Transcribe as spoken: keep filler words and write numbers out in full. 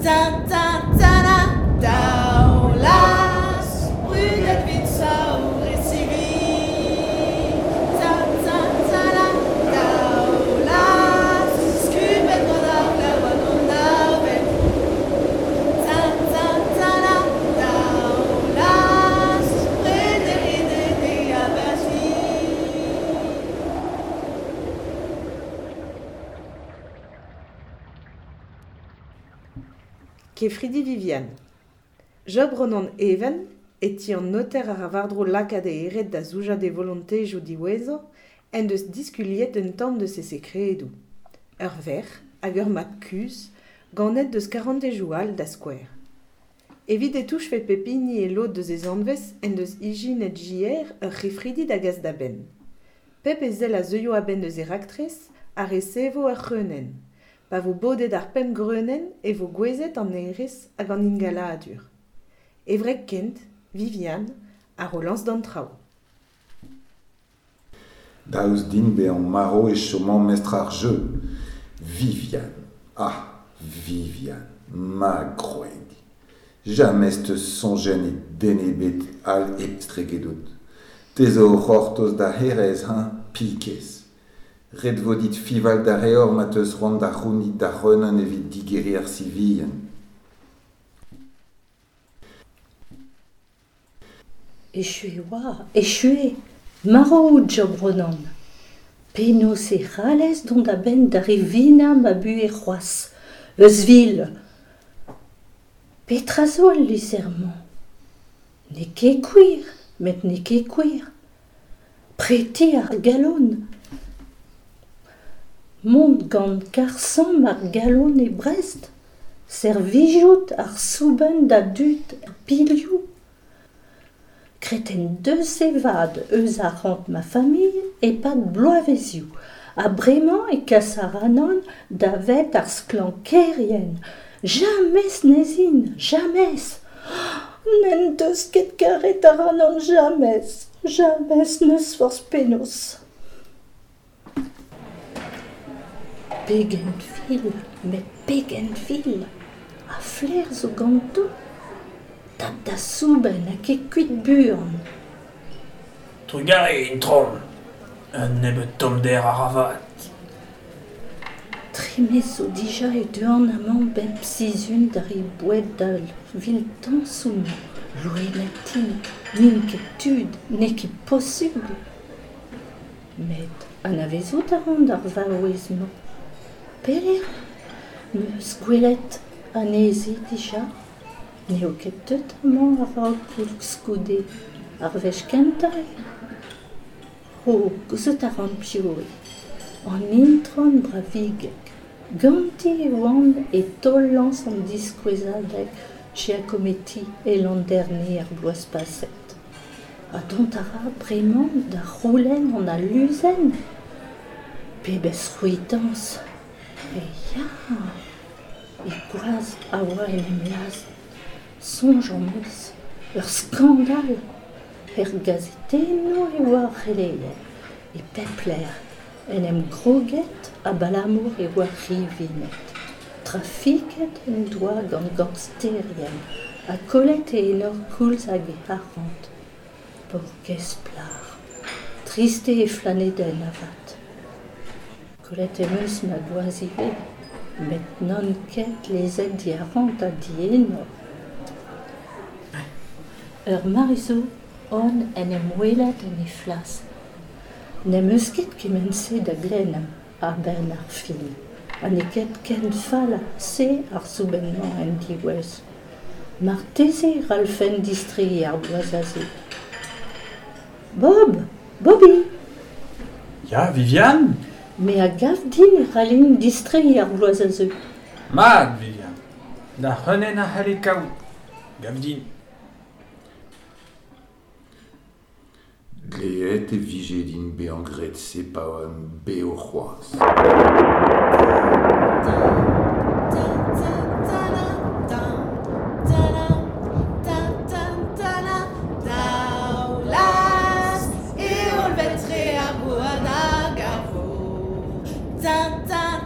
Tin, tin, tana, Daoulas, brudet 'vit saour e sivi. Tin, tin, tana, Daoulas, skubet gant ar glav hag an avel. Tin, tin, tana, Daoulas, prederiet e abati. Kefridi Viviane. Job Ronan Even, e ti an noter a ra war-dro lakaat e hêred da zoujañ d'e volontezioù diwezhañ, en deus diskuliet un tamm deus e sekredoù. Ur verc'h hag ur mab kuzh, ganet deus karantezioù all da skouer. Evit e touchfe pep hini e lod deus e zanvez en deus ijinet J R ur c'hefridi da gas da benn. Pep ezel a zeuio a-benn deus e raktres a resevo ur c'hreunenn. Pa vo bodet ar pemp greunenn e vo gouezet an hêrezh hag an ingaladur. E wreg kent, Viviane, a ro lañs d'an traoù. Daoust din bezañ marv e choman mestr ar jeu. Viviane, ah Viviane, ma gwreg. James 'teus soñjet e den ebet all estregedout. Te zo o c'hortoz da hêrezh, hañ, pikez. Ret vo dit fiñval da levr ma 'teus c'hoant da c'hounit da c'hreunenn evit digeriñ ar si vihan. Echu e oa, echu eo, marv out Job Ronan. Penaos e c'hallez dont a-benn da rivinañ ma buhez c'hoazh, euzhvil. Petra zo el lizher-mañ ? N'eo ket gwir, met n'eo ket gwir. Preti ar galon. Mont gant karr-samm ar galon e Brest, servijout ar soubenn da dud er Pilhoù. Graet en deus e vad eus arc'hant ma familh e-pad bloavezhioù ha bremañ e kas ac'hanon davet ar sklankerien. James n'ez in, james ! N'en deus ket karet ac'hanon james, james n'eus forzh penaos. Pegen vil, met pegen vil ! Ha flaer zo ganto ? Tap da soubenn ha kae kuit buan. Trugarez, itron. Un nebeud tommder a ra vat. Tri miz zo dija e teuan amañ bep sizhun da reiñ boued d'al viltañsoù-mañ. Loened int, n'int ket tud, n'eo ket posupl. Met anavezout a ran ar vaouez-mañ. Pelec'h 'm eus gwelet anezhi dija ? N'eo ket deuet amañ a-raok koulskoude, ar wech kentañ eo. O, gouzout a ran piv eo. An itron Bravigeg. Ganti e oan e taol-lañs an diskouezadeg Giacometti e Landerne ar bloaz paset. Ha dont a ra bremañ da c'houlenn an aluzenn ? Pebezh c'hwitañs ! E ya ! E gwaz a oa en em lazhet. Soñj am eus, ur skandal ! Er gazetennoù e oa ar c'heleier, e pep lec'h, en em groget abalamour e oa rivinet. Trafiket en doa gant gangsterien ha kollet e enor koulz hag e arc'hant. Paourkaezh plac'h, trist eo he flanedenn avat. Kollet em eus ma gwaz ivez, met n'on ket lezet diarc'hant ha dienor. Ur mare zo on en em welet en he flas. N'em eus ket kement-se da glennañ a-benn ar fin ha n'eo ket ken fall se ar soubenn-mañ en diwezh. Marteze e c'hallfen distreiñ ar bloaz aze. Bob ! Bobby ! Ya, Viviane ? Me a gav din e c'hallin distreiñ ar bloaz a zeu. Mat, Viviane. Da c'hreunenn a c'hallez kaout, gav din. Dleet e vije din bezañ graet se pa oan bev c'hoazh. Daoulas, e hollved-tre ar gwad hag ar vor. Tin, tin,